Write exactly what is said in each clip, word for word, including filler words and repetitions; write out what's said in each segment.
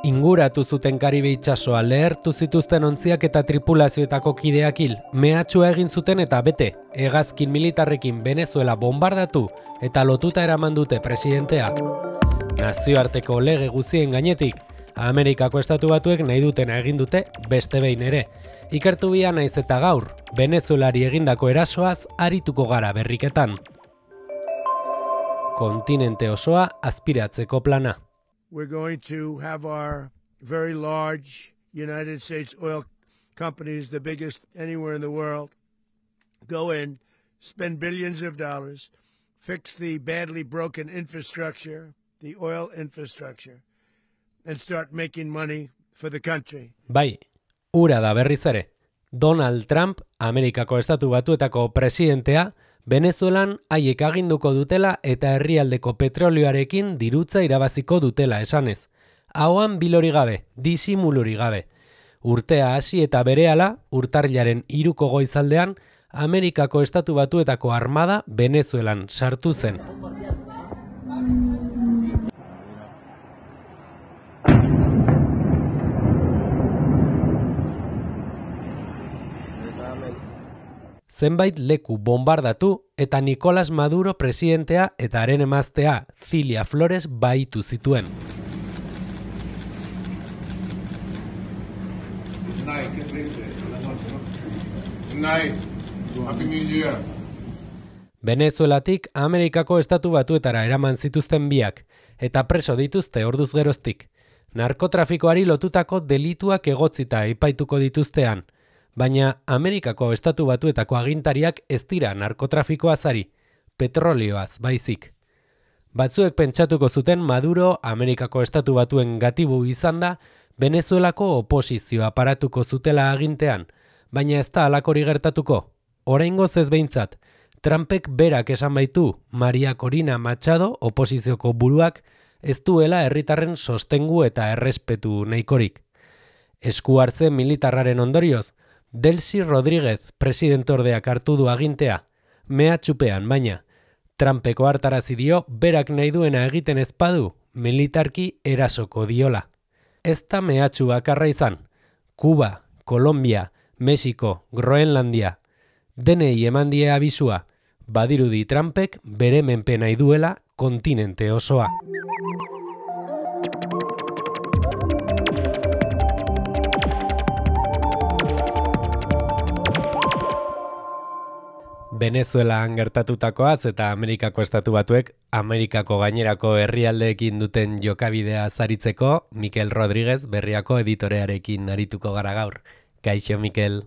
Inguratu zuten Karibe itsasoa, lehertu zituzten ontziak eta tripulazioetako kideak hil, mehatxua egin zuten eta bete, hegazkin militarrekin Venezuela bombardatu eta lotuta eraman dute presidentea. Nazioarteko lege guztien gainetik, Amerikako Estatu Batuek nahi dutena egin dute beste behin ere. Ikertu bia naiz eta gaur, Venezuelari egindako erasoaz arituko gara berriketan. Kontinente osoa azpiratzeko plana. We're going to have our very large United States oil companies, the biggest anywhere in the world, go in, spend billions of dollars, fix the badly broken infrastructure, the oil infrastructure, and start making money for the country. Bai, ura da berriz ere. Donald Trump, Amerikako Estatu Batuetako presidentea, Venezuelan haiek aginduko dutela eta herrialdeko petrolioarekin dirutza irabaziko dutela esanez. Ahoan bilori gabe, disimuluri gabe. Urtea hasi eta berehala, urtarrilaren hiruko goizaldean, Amerikako Estatu Batuetako armada Venezuelan sartu zen. Zenbait leku bombardatu eta Nicolás Maduro presidentea eta haren emaztea Cilia Flores bahitu zituen. Venezuelatik Amerikako Estatu Batuetara eraman zituzten biak, eta preso dituzte orduz geroztik. Narkotrafikoari lotutako delituak egotzita epaituko dituztean. Baina Amerikako Estatu Batuetako agintariak ez dira narkotrafikoaz ari, petrolioaz baizik. Batzuek pentsatuko zuten Maduro Amerikako Estatu Batuen gatibu izan da Venezuelako oposizioa paratuko zutela agintean, baina ez da halakori gertatuko. Oraingoz ez behintzat, Trumpek berak esan baitu Maria Corina Machado oposizioko buruak ez duela herritarren sostengu eta errespetu nahikorik. Esku hartze militarraren ondorioz, Delcy Rodríguez presidentordeak hartu du agintea, mehatxupean baina, Trumpeko hartarazi dio berak nahi duena egiten ezpadu, militarki erasoko diola. Ez da mehatxu bakarra izan, Kuba, Kolombia, Mexiko, Groenlandia, denei eman die abisua, badirudi Trumpek bere menpe nahi duela kontinente osoa. Venezuelan gertatutakoaz eta Amerikako Estatu Batuek Amerikako gainerako herrialdeekin duten jokabidea zaritzeko, Mikel Rodríguez Berriako editorearekin arituko gara gaur. Kaixo, Mikel.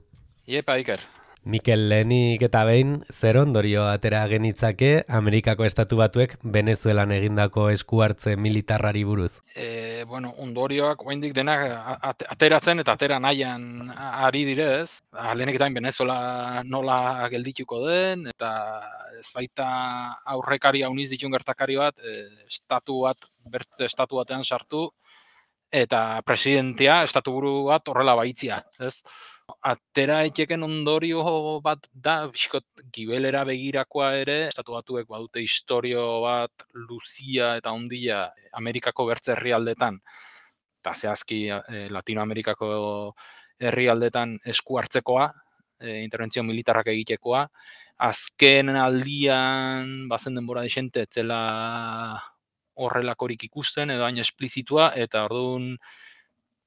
Iepa, Iker. Mikel, lehenik eta behin, zer ondorio atera genitzake Amerikako Estatu Batuek Venezuelan egindako esku hartze militarrari buruz? E, bueno, ondorioak oraindik denak ateratzen eta atera nahian ari direz. Lehenik eta Venezuela nola geldituko den, eta ez baita aurrekari hauniz ditun gertakari bat, e, estatu bat, bertze estatu batean sartu, eta presidentea, estatu buru bat horrela baitzia, ez? Atera etxeken ondorio bat da, bizkot gibelera begirakoa ere, Estatu Batuek badute historio bat luzia eta handia Amerikako bertze herrialdetan, eta zehazki eh, Latinoamerikako herrialdetan esku hartzekoa, eh, interbentzio militarrak egitekoa. Azken aldian, bazen denbora desente, etzela horrelakorik ikusten, edo hain esplizitua, eta orduan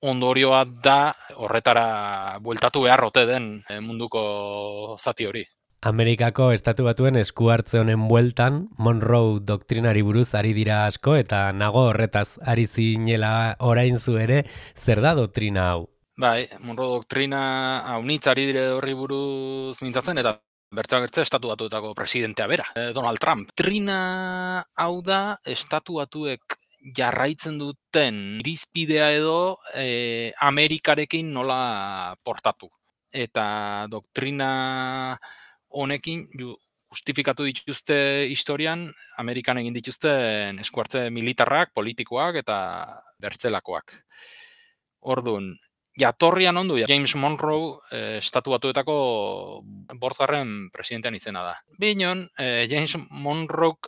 ondorioa da horretara bueltatu beharrote den munduko zati hori. Amerikako Estatu Batuen esku hartze honen bueltan, Monroe doktrinari buruz ari dira asko eta nago horretaz ari zinela orain zu ere, zer da doktrina hau? Bai, Monroe doktrina haunitz ari dire horri buruz mintzatzen eta bertza gertze Estatu Batuetako presidentea bera, Donald Trump. Doktrina hau da Estatu Batuek jarraitzen duten irizpidea edo e, Amerikarekin nola portatu. Eta doktrina honekin justifikatu dituzte historian, Amerikan egin dituzten esku hartze militarrak, politikoak eta bertzelakoak. Orduan, jatorrian ondu, James Monroe eh, Estatu Batuetako bortgarren presidentean izena da. Binon, eh, James Monroe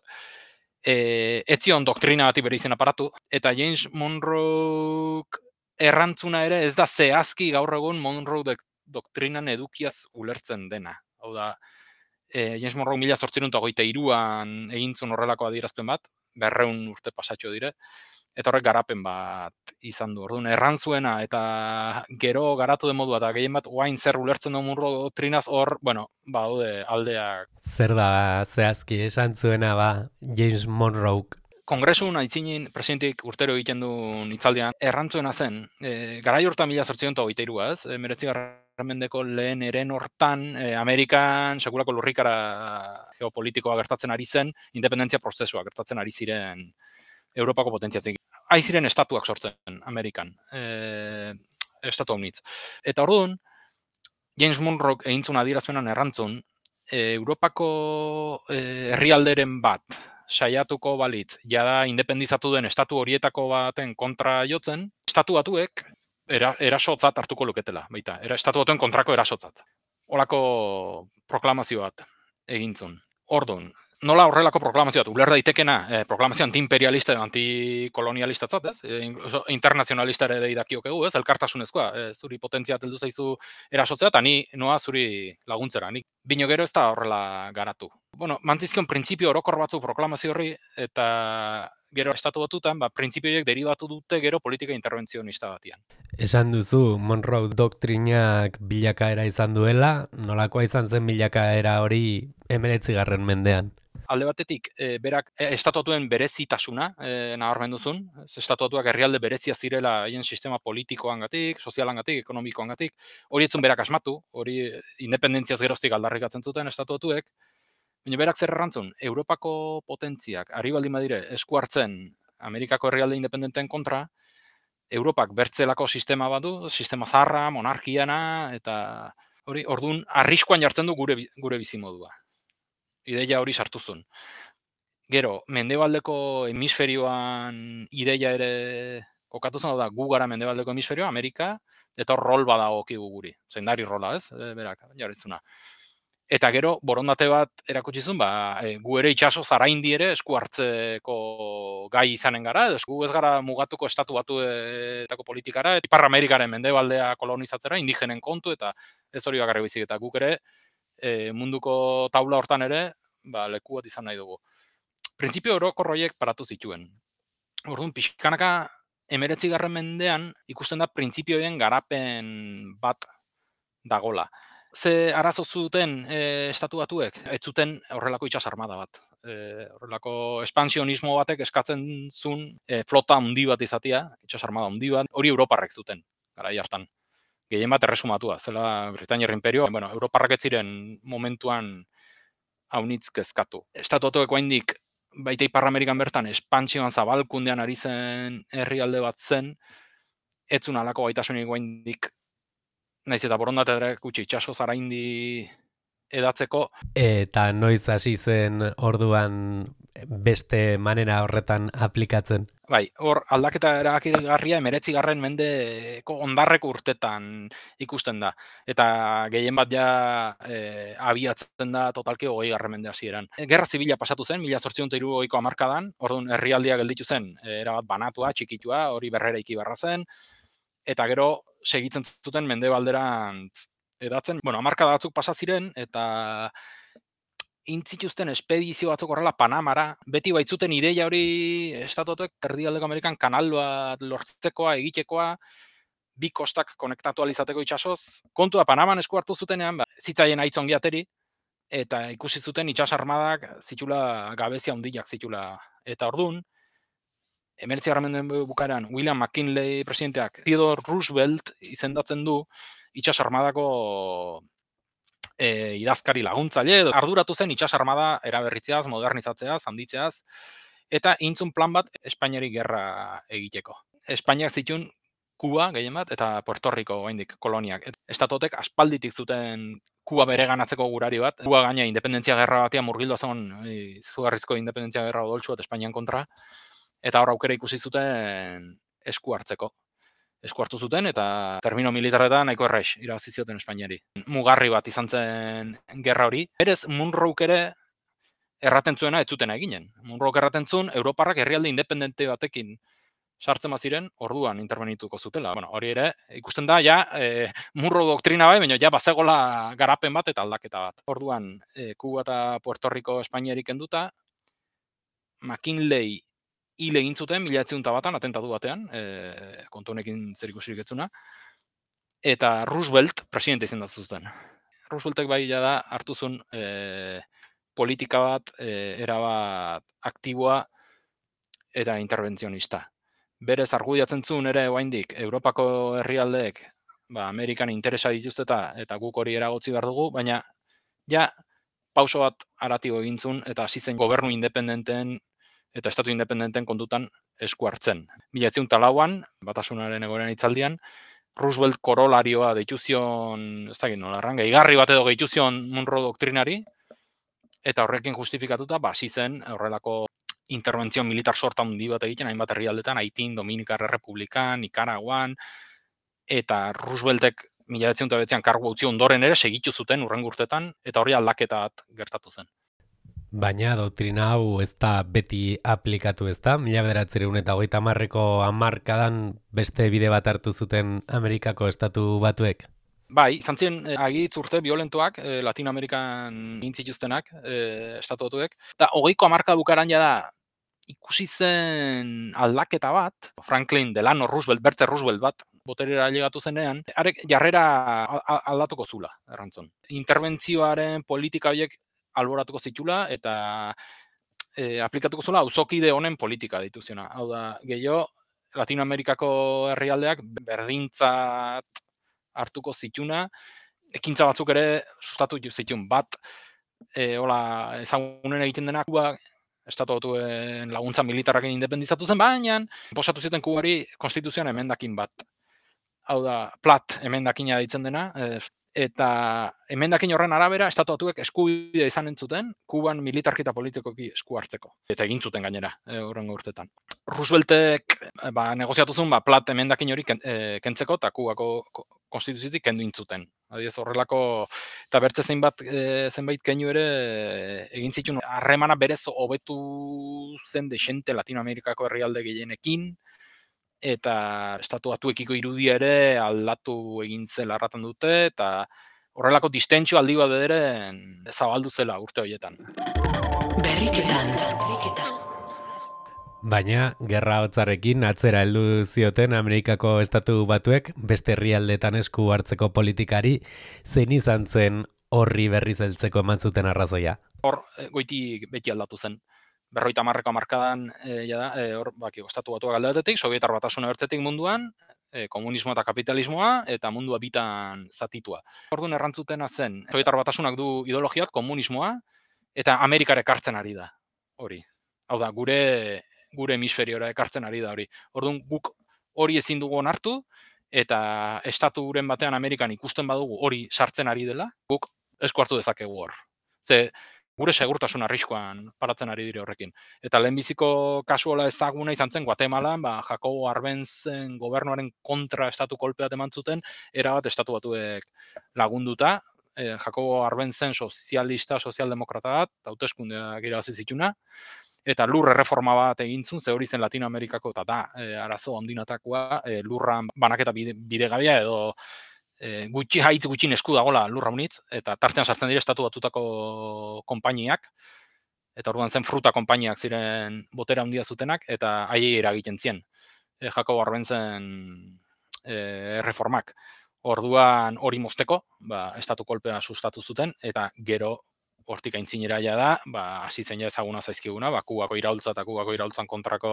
E, etzion doktrina bati bere izen aparatu, eta James Monroe errantzuna ere ez da zehazki gaur egun Monroe doktrinan edukiaz ulertzen dena. Hau da, e, James Monroe mila zortziehun eta hogeita hiruan egintzun horrelako adierazpen bat, berreun urte pasatxo dire, eta horrek garapen bat izan du. Orduan, erran zuena eta gero garatu den modua, eta gehien bat oain zer ulertzen du Monroe doktrinaz hor, bueno, ba, haude aldeak. Zer da zehazki esan zuena ba James Monroe? Kongresun aitzinin presidentik urtero egiten duen hitzaldian, errantzuena zen, e, garai hortan mila zortziehun eta hogeita hirua, ez? E, meretzigarren mendeko lehen eren hortan, e, Amerikan sekulako lurrikara geopolitikoa gertatzen ari zen, independentzia prozesua gertatzen ari ziren Europako potentziatzen. Ari ziren estatuak sortzen Amerikan, e, estatu haunitz. Eta orduan, James Monroe egintzun adierazpenan errantzun, e, Europako e, herrialderen bat, saiatuko balitz, jada independizatu den estatu horietako baten kontra jotzen, estatu batuek era, erasotzat hartuko luketela, baita, era, estatu batuen kontrako erasotzat. Horako proklamazio bat egintzun. Orduan, nola horrelako proklamazio bat, uler daitekena, eh, proklamazio antiimperialista edo antikolonialistatzat, ez? E, internazionalista ere deidakioke gu, ez? Elkartasunezkoa, e, zuri potentzia teldu zaizu erasotzea, eta ni noa zuri laguntzera, nik bino gero ez da horrela garatu. Bueno, mantzizkion printzipio orokor batzu proklamazio horri, eta gero estatu batutan, ba, printzipioiek deribatu dute gero politika interbentzionista batian. Esan duzu, Monroe doktrinak bilakaera izan duela, nolakoa izan zen bilakaera hori hemeretzigarren mendean? Alde batetik, e, berak e, estatuatuen berezitasuna e, nabarmendu zuen. Estatuatuak herrialde berezia zirela haien sistema politikoangatik, sozialangatik, ekonomikoangatik. Hori etzun berak asmatu, hori independentziaz geroztik aldarrikatzen zuten estatuatuek. Baina berak zer errantzun, Europako potentziak, ari baldin badire, esku hartzen Amerikako herrialde independenteen kontra, Europak bertzelako sistema badu, sistema zaharra, monarkiana, eta hori, orduan, arriskuan jartzen du gure, gure bizimodua. Ideia hori sartu zuen. Gero, mendebaldeko hemisferioan ideia ere kokatu zen, da, gu gara mendebaldeko hemisferioa, Amerika, eta hor rol badago okigu guri. Zeindari rola, ez? E, berak, jarritzuna. Eta gero, borondate bat erakutsi zuen, ba, e, gu ere itxaso zaraindi ere esku hartzeko gai izanen gara, edo gu ez gara mugatuko estatu batuetako politikara, eta Ipar Amerikaren mendebaldea kolonizatzera, indigenen kontu, eta ez hori bakarrik bizik, eta guk ere e, munduko taula hortan ere, ba, leku bat izan nahi dugu. Printzipio orokor horiek paratu zituen. Orduan, pixkanaka hemeretzigarren mendean ikusten da printzipioen garapen bat dagola. Ze arazo zuten e, estatu batuek? Ez zuten horrelako itsas armada bat. E, horrelako espansionismo batek eskatzen zuen e, flota handi bat izatea, itsas armada handi bat, hori Europarrek zuten, garai hartan. Gehien bat erresumatua, zela Britainiar Imperio, bueno, Europarrak ez ziren momentuan haunitz kezkatu. Estatu batuek oraindik baita Ipar Amerikan bertan espansioan zabalkundean ari zen herrialde bat zen, ez zuen halako gaitasunik oraindik naiz eta borondate erakutsi itxaso zaraindi edatzeko. Eta noiz hasi zen orduan beste manera horretan aplikatzen? Bai, hor aldaketa erabakigarria hemeretzigarren mendeko ondarreko urtetan ikusten da. Eta gehien bat ja e, abiatzen da totalki hogeigarren mende hasieran. Gerra zibila pasatu zen, mila zortziehun eta hirurogeiko hamarkadan, orduan herrialdia gelditu zen, erabat banatua, txikitua, hori berreraiki barra zen, eta gero segitzen zuten mendebalderantz edatzen. Bueno, hamarkada batzuk pasa ziren, eta intzituzten espedizio batzuk horrela Panamara, beti baitzuten ideia hori estatuatuek erdialdeko Amerikan kanal bat lortzekoa, egitekoa, bi kostak konektatu alizateko itxasoz. Kontua Panaman esku hartu zutenean, ba, zitzaien aitzongi ateri, eta ikusi zuten itsas armadak zitula gabezia handiak zitula. Eta ordun, hemeretzigarren mende bukaeran, William McKinley presidenteak Theodore Roosevelt izendatzen du itsas armadako E, idazkari laguntzaile, edo arduratu zen itsas armada eraberritzeaz, modernizatzeaz, handitzeaz, eta intzun plan bat Espainiari gerra egiteko. Espainiak zituen Kuba gehien bat, eta Puerto Rico oraindik koloniak. Estatutek aspalditik zuten Kuba bereganatzeko gurari bat. Kuba gaina independentzia gerra batean murgildu zen, izugarrizko independentzia gerra odoltsu bat Espainian kontra, eta hor aukera ikusi zuten esku hartzeko. Esku hartu zuten, eta termino militarretan nahiko errex irabazi zioten Espainiari. Mugarri bat izan zen gerra hori. Berez, Monroe ere erraten zuena ez zuten eginen. Monroe erraten zuen, Europarrak herrialde independente batekin sartzen baziren, orduan intervenituko zutela. Bueno, hori ere, ikusten da, ja, e, murro doktrina bai, baina ja, bazegola garapen bat eta aldaketa bat. Orduan, e, Kuba eta Puerto Rico Espainiarik kenduta, McKinley hil egin zuten, mila bederatziehun eta batan, atentatu batean, e, kontu honekin zer ikusirik etzuna, eta Roosevelt presidente izendatu zuten. Rooseveltek bai da hartu zuen e, politika bat, e, erabat aktiboa eta interventzionista. Berez argudiatzen zuen ere oraindik Europako herrialdeek ba, Amerikan interesa dituzteta eta guk hori eragotzi behar dugu, baina ja pauso bat haratibo egin zuen eta hasi zen gobernu independenten eta estatu independenten kontutan esku hartzen. mila bederatziehun eta lauan, Batasunaren egoeran hitzaldian, Roosevelt korolarioa deitu zion, ez dakit nola erran, gehigarri bat edo gehitu zion Monroe doktrinari, eta horrekin justifikatuta, ba, hasi zen horrelako interbentzio militar sorta handi bat egiten, hainbat herrialdetan, Haitin, Dominikar Errepublikan, Nikaraguan, eta Rooseveltek mila bederatziehun eta bederatzian kargu utzi ondoren ere segitu zuten hurrengo urtetan, eta hori aldaketa bat gertatu zen. Baina doktrina hau ez da beti aplikatu ez da, mila bederatziehun eta hogeita hamarreko hamarkadan beste bide bat hartu zuten Amerikako estatu batuek? Bai, izan ziren eh, agitz urte violentoak, eh, Latinoamerikan egin zituztenak, eh, estatu batuek, eta hogeiko hamarka bukaran da ikusi zen aldaketa bat, Franklin Delano Roosevelt, Bertze Roosevelt bat, boterera ailegatu zenean, arek jarrera aldatuko zula, errantzun. Interbentzioaren politika horiek alboratuko zitula eta e, aplikatuko zula auzokide honen politika dituziona. Hau da, gehiago, Latinoamerikako herrialdeak berdintzat hartuko zituna, ekintza batzuk ere sustatu zitun. Bat, e, hola, ezagunen egiten denak, Kuba, estatu batuen laguntza militarrakin independizatu zen, baina posatu zuten Kubari konstituzioan emendakin bat. Hau da, Platt emendakina ditzen dena, e, eta emendakin horren arabera, estatu batuek eskubidea izan entzuten, Kuban militarki eta politikoki esku hartzeko. Eta egin zuten gainera, e, horrengo urtetan. Rooseveltek ba, negoziatu zuen ba, Platt emendakin hori e, kentzeko eta Kubako konstituziotik kendu intzuten. Adiez horrelako, eta bertze zenbait, e, zenbait keinu ere e, egin zituen harremana berez hobetu zen desente Latinoamerikako herrialde gehienekin, eta estatu batuekiko irudia ere aldatu egin zela erraten dute, eta horrelako distentsio aldi bat bederen zabaldu zela urte horietan. Berriketan. Baina, gerra hotzarekin atzera heldu zioten Amerikako estatu batuek beste herrialdetan esku hartzeko politikari, zein izan zen horri berriz heltzeko eman zuten arrazoia? Hor, goiti beti aldatu zen. Berroita hamarreko hamarkadan, e, jada, e, hor, baki, estatu batuak alde batetik, Sobietar Batasuna bertzetik munduan, e, komunismoa eta kapitalismoa, eta mundua bitan zatitua. Orduan errantzutena zen, Sobietar Batasunak du ideologiat, komunismoa, eta Amerikara ekartzen ari da, hori. Hau da, gure gure hemisferiora ekartzen ari da hori. Orduan guk hori ezin dugu onartu, eta estaturen batean Amerikan ikusten badugu hori sartzen ari dela, guk esku hartu dezakegu hor. Ze gure segurtasun arriskoan paratzen ari dire horrekin. Eta lehenbiziko kasuola ezaguna izan zen Guatemalan, ba, Jacobo Arbenzen gobernuaren kontra estatu kolpe bat eman zuten, erabat estatu batuek lagunduta, e, Jacobo Arbenzen sozialista, sozialdemokrata bat, hauteskundeak irabazi zituna, eta lur erreforma bat egintzun, ze hori zen Latinoamerikako, eta da, e, arazo ondinatakoa, e, lurran banaketa bide, bidegabea edo e, gutxi haitz gutxin esku dagola lurra unitz, eta tartean sartzen dira estatu batutako konpainiak, eta orduan zen fruta konpainiak ziren botera handia zutenak, eta haiei eragiten zien. E, Jacobo Arbenzen e, erreformak. Orduan hori mozteko, ba, estatu kolpea sustatu zuten, eta gero hortik aintzinera ja da, ba, hasi zen ja ezaguna zaizkiguna, ba, Kubako iraultza eta Kubako iraultzan kontrako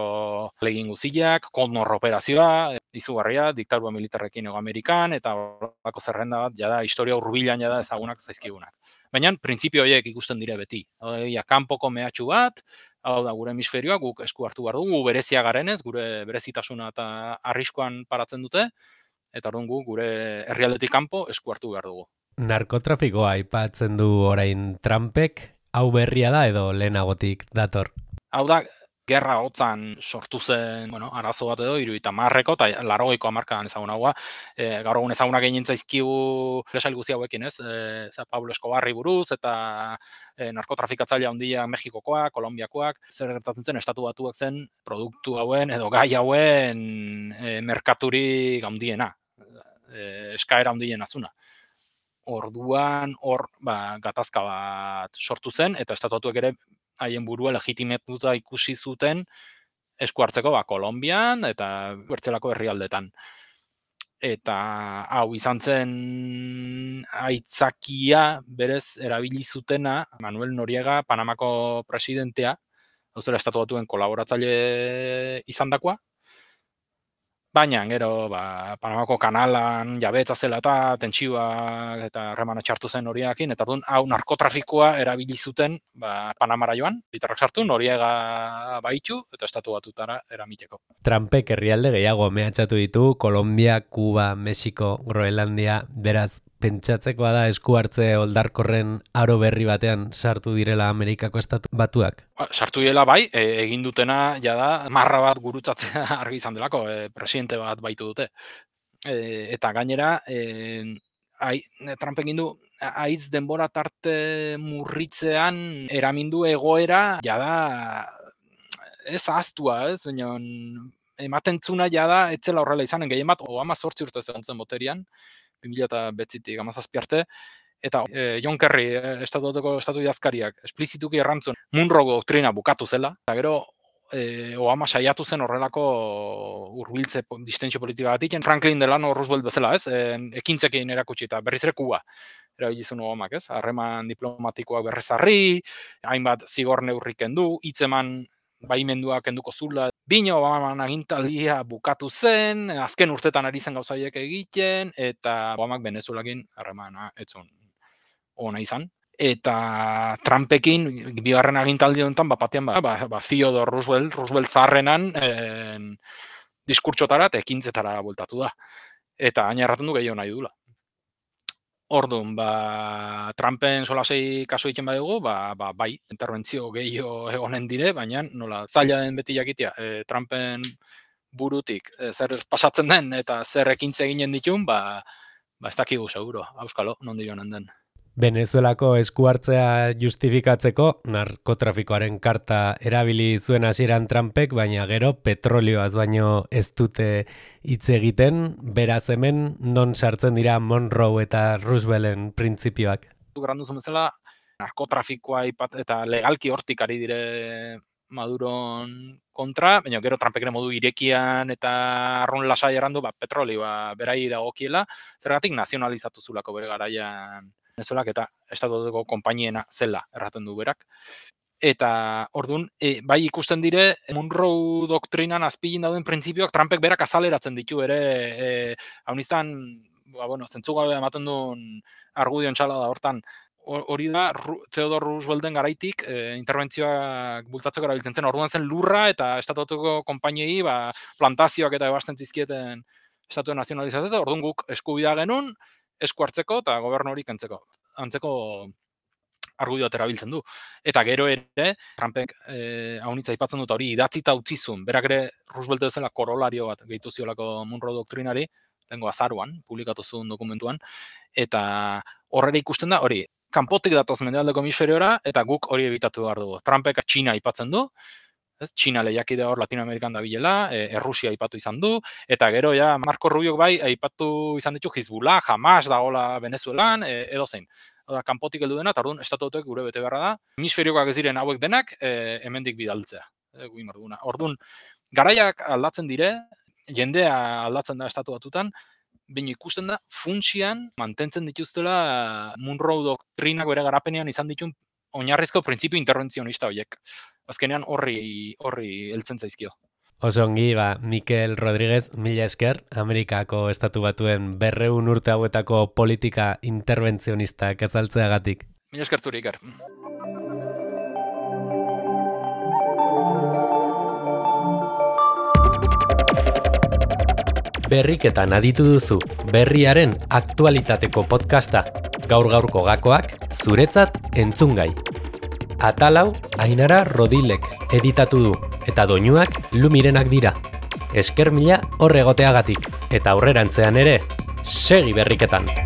legin guziak, Condor operazioa, izugarria, diktadura militarrekin ego Amerikan, eta horrelako zerrenda bat, ja da, historia hurbilan ja da ezagunak zaizkigunak. Baina, printzipio horiek ikusten dire beti. Hau da, kanpoko mehatxu bat, hau da, gure hemisferioa, guk esku hartu behar dugu, berezia garenez, gure berezitasuna eta arriskoan paratzen dute, eta orduan gu, gure herrialdetik kanpo esku hartu behar dugu. Narkotrafikoa aipatzen du orain Trumpek, hau berria da edo lehenagotik dator? Hau da, gerra hotzan sortu zen, bueno, arazo bat edo, hirurogeita hamarreko eta laurogeiko hamarkadan ezagunagoa. E, gaur egun ezagunak egin zaizkigu lesail guzti hauekin, ez? E, za Pablo Escobarri buruz eta e, narkotrafikatzaile handia Mexikokoak, Kolonbiakoak, zer gertatzen zen estatu batuak zen produktu hauen edo gai hauen e, merkaturik handiena, e, eskaera handiena zuna. Orduan hor ba, gatazka bat sortu zen eta estatuatuek ere haien burua legitimatuta ikusi zuten esku hartzeko ba, Kolonbian eta bertzelako herrialdetan. Eta hau izan zen aitzakia berez erabili zutena Manuel Noriega, Panamako presidentea, hau zela estatuatuen kolaboratzaile izandakoa. Baina, gero, ba, Panamako kanalan jabetza zela eta tentsioa eta harremana txartu zen Noriegakin, eta orduan hau narkotrafikoa erabili zuten ba, Panamara joan, bitarrak sartu, Noriega baitu eta estatu batutara eramiteko. Trumpek herrialde gehiago mehatxatu ditu, Kolombia, Kuba, Mexiko, Groenlandia, beraz, pentsatzekoa da esku hartze oldarkorren aro berri batean sartu direla Amerikako estatu batuak? Sartu direla bai, e, egin dutena jada marra bat gurutzatzea argi izan delako, e, presidente bat baitu dute. E, eta gainera, e, ai, Trump egin du aiz denbora tarte murritzean eramindu egoera jada ez ahaztua, ez, baina ematen zuna jada etzela horrela izanen, gehien bat Obama zortzi urte zegoen zen boterian, bi mila bederatzitik hamazazpi arte, eta e, John Kerry, e, estatutuko estatu idazkariak, esplizituki errantzun Monroe doktrina bukatu zela, eta gero e, Obama saiatu zen horrelako hurbiltze distentsio politika batik, Franklin Delano Roosevelt bezala, ez, e, ekintzekin erakutsi eta berriz ere Kuba erabilizun Obamak, ez, harreman diplomatikoak berrezarri, hainbat zigor neurri kendu, hitzeman baimendua kenduko zula. Bino Obaman agintaldia bukatu zen, azken urtetan ari zen gauzaiek egiten, eta Obamak Venezuelakin harremana etzun ona izan. Eta Trumpekin, bigarren agintaldi honetan, bapatean, ba, ba, ba, Theodore Roosevelt, Roosevelt zaharrenan, eh, diskurtsotara eta ekintzetara bueltatu da. Eta hain erraten du gehiago nahi dula. Orduan, ba, Trumpen solasei kasu egiten badugu, ba, ba, bai, interbentzio gehiago egonen dire, baina nola zaila den beti jakitea, e, Trumpen burutik e, zer pasatzen den eta zer ekintze eginen ditun, ba, ba ez dakigu seguro, auskalo, nondi joanen den. Venezuelako esku hartzea justifikatzeko narkotrafikoaren karta erabili zuen hasieran Trumpek, baina gero petrolioaz baino ez dute hitz egiten, beraz hemen non sartzen dira Monroe eta Roosevelten printzipioak. Grandu zen bezala, narkotrafikoa ipat, eta legalki hortik ari dire Maduron kontra, baina gero Trumpek ere modu irekian eta arrun lasai errandu, ba, petrolioa berai dagokiela, zergatik nazionalizatu zulako bere garaian Venezuelak eta estatutuko konpainiena zela erraten du berak. Eta orduan, e, bai ikusten dire, Monroe doktrinan azpilin dauden printzipioak Trumpek berak azaleratzen ditu ere, e, hau niztan, ba, bueno, zentzugabe ematen duen argudion txala da hortan, hori da, Theodore Roosevelten garaitik e, interbentzioak bultzatzeko erabiltzen zen, orduan zen lurra eta estatutuko konpainiei ba, plantazioak eta ebasten zizkieten estatuen nazionalizazio, orduan guk eskubidea genuen, esku hartzeko eta gobernu hori kentzeko. Antzeko argudio bat erabiltzen du. Eta gero ere, Trumpek eh, haunitza aipatzen dut hori idatzita utzizun. Berak ere Roosevelt bezala korolario bat gehitu ziolako Monroe doktrinari, lehengo azaruan, publikatu zuen dokumentuan, eta horrela ikusten da, hori, kanpotik datoz mendealdeko hemisferiora, eta guk hori ebitatu behar dugu. Trumpek Txina aipatzen du, Txina lehiakide hor Latinoamerikan dabilela, e, Errusia aipatu izan du, eta gero ja Marco Rubiok bai aipatu izan ditu Hizbullah, Hamas dagoela Venezuelan, e, edo zein. Oda, kanpotik heldu dena, eta orduan estatutuek gure bete beharra da. Hemisferioak ez diren hauek denak, e, hemendik bidaltzea. E, orduan, garaiak aldatzen dire, jendea aldatzen da estatu batutan, baina ikusten da, funtsian mantentzen dituztela Monroe doktrinak bere garapenean izan ditun oinarrizko printzipio interventzionista horiek. Azkenean horri horri heltzen zaizkio. Oso ongi, ba, Mikel Rodríguez, mila esker, Amerikako estatu batuen berreun urte hauetako politika interventzionistak azaltzeagatik. Mila esker zuri, Iker. Berriketan aditu duzu, berriaren aktualitateko podcasta. Gaur-gaurko gakoak, zuretzat entzungai. Atalau, Ainara Rodilek editatu du. eta doinuak Lumirenak dira. Esker mila hor egoteagatik, eta aurrerantzean ere, segi berriketan!